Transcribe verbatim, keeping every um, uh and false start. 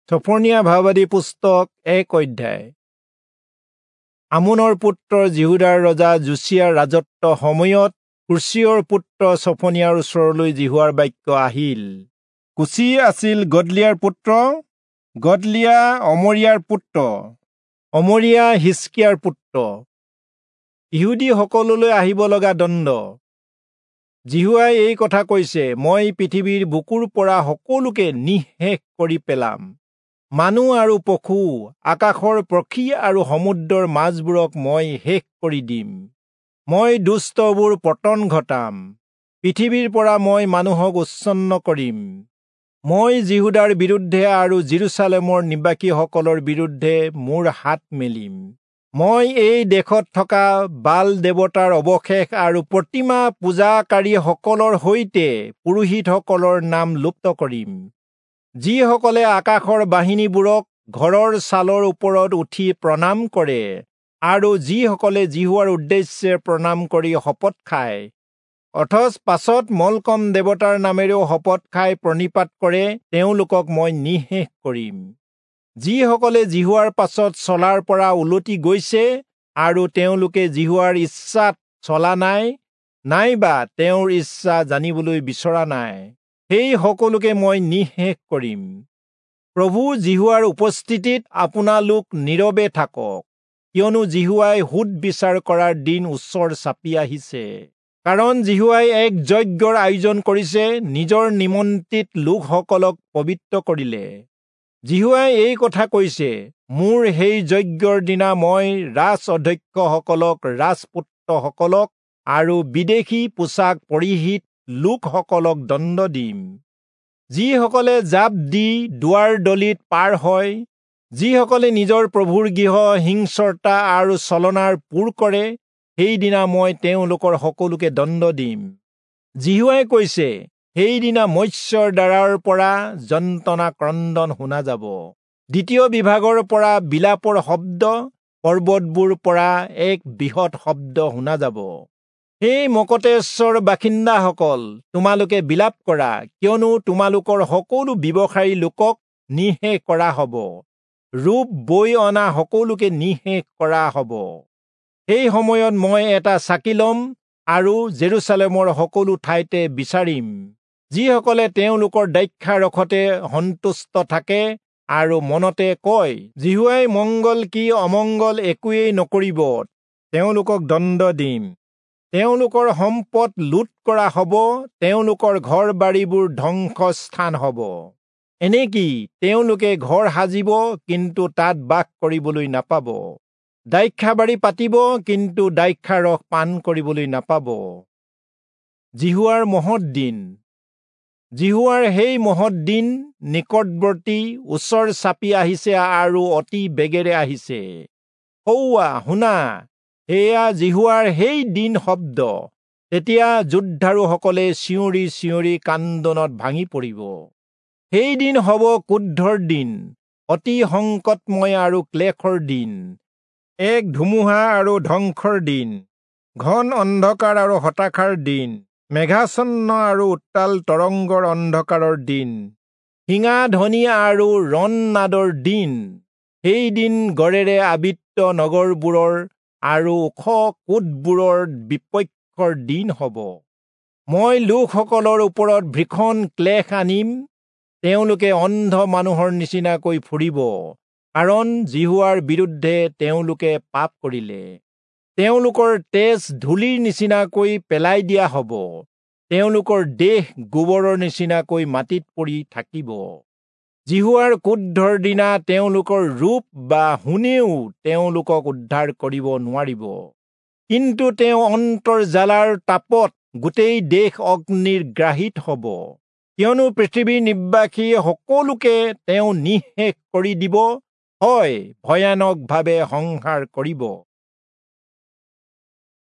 চফনিয়া ভাৱবাদী পুস্তক এক অধ্যায়। আমোনৰ পুত্ৰ যিহূদাৰ ৰজা যোচিয়াৰ ৰাজত্ব সময়ত কুচীয়ৰ পুত্ৰ চফনিয়াৰ ওচৰলৈ যিহোৱাৰ বাক্য আহিল। কুচি আছিল গদলিয়াৰ পুত্ৰ, গদলিয়া অমৰিয়াৰ পুত্ৰ, অমৰিয়া হিজকিয়াৰ পুত্ৰ। ইহুদীসকললৈ আহিব লগা দণ্ড। যিহোৱাই এই কথা কৈছে, মই পৃথিৱীৰ বুকুৰ পৰা সকলোকে নিঃশেষ কৰি পেলাম। মানুহ আৰু পশু, আকাশৰ পক্ষী আৰু সমুদ্ৰৰ মাছবোৰক মই শেষ কৰি দিম। মই দুষ্টবোৰ পতন ঘটাম, পৃথিৱীৰ পৰা মই মানুহক উচ্ছন্ন কৰিম। মই যিহূদাৰ বিৰুদ্ধে আৰু যিৰূচালেমৰ নিবাসীসকলৰ বিৰুদ্ধে মোৰ হাত মেলিম। মই এই দেশত থকা বাল দেৱতাৰ অৱশেষ আৰু প্ৰতিমা পূজাকাৰীসকলৰ সৈতে পুৰোহিতসকলৰ নাম লুপ্ত কৰিম, যিসকলে আকাশৰ বাহিনীবোৰক ঘৰৰ ছালৰ ওপৰত উঠি প্ৰণাম কৰে আৰু যিসকলে যিহোৱাৰ উদ্দেশ্যে প্ৰণাম কৰি শপত খায়, অথচ পাছত মলকম দেৱতাৰ নামেৰেও শপত খাই প্ৰণিপাত কৰে, তেওঁলোকক মই নিঃশেষ কৰিম। যিসকলে যিহোৱাৰ পাছত চলাৰ পৰা উলটি গৈছে আৰু তেওঁলোকে যিহোৱাৰ ইচ্ছাত চলা নাই, নাইবা তেওঁৰ ইচ্ছা জানিবলৈ বিচৰা নাই, সেই সকলোকে মই নিঃশেষ কৰিম। প্ৰভু যিহোৱাৰ উপস্থিতিত আপোনালোক নীৰৱে থাকক, কিয়নো যিহোৱাই সোধ বিচাৰ কৰাৰ দিন ওচৰ চাপি আহিছে। কাৰণ যিহোৱাই এক যজ্ঞৰ আয়োজন কৰিছে, নিজৰ নিমন্ত্ৰিত লোকসকলক পবিত্ৰ কৰিলে। যিহোৱাই এই কথা কৈছে, মোৰ সেই যজ্ঞৰ দিনা মই ৰাজ অধ্যক্ষসকলক, ৰাজপুত্ৰসকলক আৰু বিদেশী পোছাক পৰিহিত লোকসকলক দণ্ড দিম। যিসকলে জাপ দি দুৱাৰ দলিত পাৰ হয়, যিসকলে নিজৰ প্ৰভুৰ গৃহ হিংস্ৰতা আৰু ছলনাৰ পূৰ কৰে, সেইদিনা মই তেওঁলোকৰ সকলোকে দণ্ড দিম। যিহোৱাই কৈছে, সেইদিনা মৎস্যৰ দ্বাৰাৰ পৰা যন্ত্ৰণা ক্ৰন্দন শুনা যাব, দ্বিতীয় বিভাগৰ পৰা বিলাপৰ শব্দ, পৰ্বতবোৰ পৰা এক বৃহৎ শব্দ শুনা যাব। সেই মকতেশ্বৰ বাসিন্দাসকল, তোমালোকে বিলাপ কৰা, কিয়নো তোমালোকৰ সকলো ব্যৱসায়ী লোকক নিঃশেষ কৰা হ'ব, ৰূপ বৈ অনা সকলোকে নিঃশেষ কৰা হ'ব। সেই সময়ত মই এটা চাকি ল'ম আৰু জেৰুচালেমৰ সকলো ঠাইতে বিচাৰিম, যিসকলে তেওঁলোকৰ দ্ৰাক্ষাৰসতে সন্তুষ্ট থাকে আৰু মনতে কয়, যিহোৱাই মংগল কি অমংগল একোৱেই নকৰিব, তেওঁলোকক দণ্ড দিম। তেওঁলোকৰ সম্পদ লুট কৰা হ'ব, তেওঁলোকৰ ঘৰ বাৰীবোৰ ধ্বংসস্থান হ'ব। এনেকি তেওঁলোকে ঘৰ সাজিব, কিন্তু তাত বাস কৰিবলৈ নাপাব, দ্ৰাক্ষাবাৰী পাতিব, কিন্তু দ্ৰাক্ষাৰস পান কৰিবলৈ নাপাব। যিহোৱাৰ মহৎ দিন। যিহোৱাৰ সেই মহৎ দিন নিকটৱৰ্তী, ওচৰ চাপি আহিছে আৰু অতি বেগেৰে আহিছে। সৌৱা শুনা, সেয়া যিহোৱাৰ সেই দিন শব্দ। তেতিয়া যোদ্ধাৰুসকলে চিঞৰি চিঞৰি কান্দোনত ভাঙি পৰিব। সেই দিন হ'ব ক্ৰোধৰ দিন, অতি সংকটময় আৰু ক্লেশৰ দিন, এক ধুমুহা আৰু ধ্বংসৰ দিন, ঘন অন্ধকাৰ আৰু হতাশাৰ দিন, মেঘাচ্ছন্ন আৰু উত্তাল তৰংগৰ অন্ধকাৰৰ দিন, শিঙা ধ্বনি আৰু ৰণনাদৰ দিন। সেই দিন গড়েৰে আবৃত নগৰবোৰৰ আৰু ওখ কোটবোৰৰ বিপক্ষৰ দিন হ'ব। মই লোকসকলৰ ওপৰত ভীষণ ক্লেশ আনিম, তেওঁলোকে অন্ধ মানুহৰ নিচিনাকৈ ফুৰিব, কাৰণ যিহোৱাৰ বিৰুদ্ধে তেওঁলোকে পাপ কৰিলে। তেওঁলোকৰ তেজ ধূলিৰ নিচিনাকৈ পেলাই দিয়া হ'ব, তেওঁলোকৰ দেহ গোবৰৰ নিচিনাকৈ মাটিত পৰি থাকিব। যিহোৱাৰ ক্ৰোধৰ দিনা তেওঁলোকৰ ৰূপ বা সোণেও তেওঁলোকক উদ্ধাৰ কৰিব নোৱাৰিব, কিন্তু তেওঁ অন্তৰ জ্বালাৰ তাপত গোটেই দেশ অগ্নিৰ গ্ৰাহিত হ'ব, কিয়নো পৃথিৱীৰ নিবাসী সকলোকে তেওঁ নিঃশেষ কৰি দিব, হয় ভয়ানকভাৱে সংহাৰ কৰিব।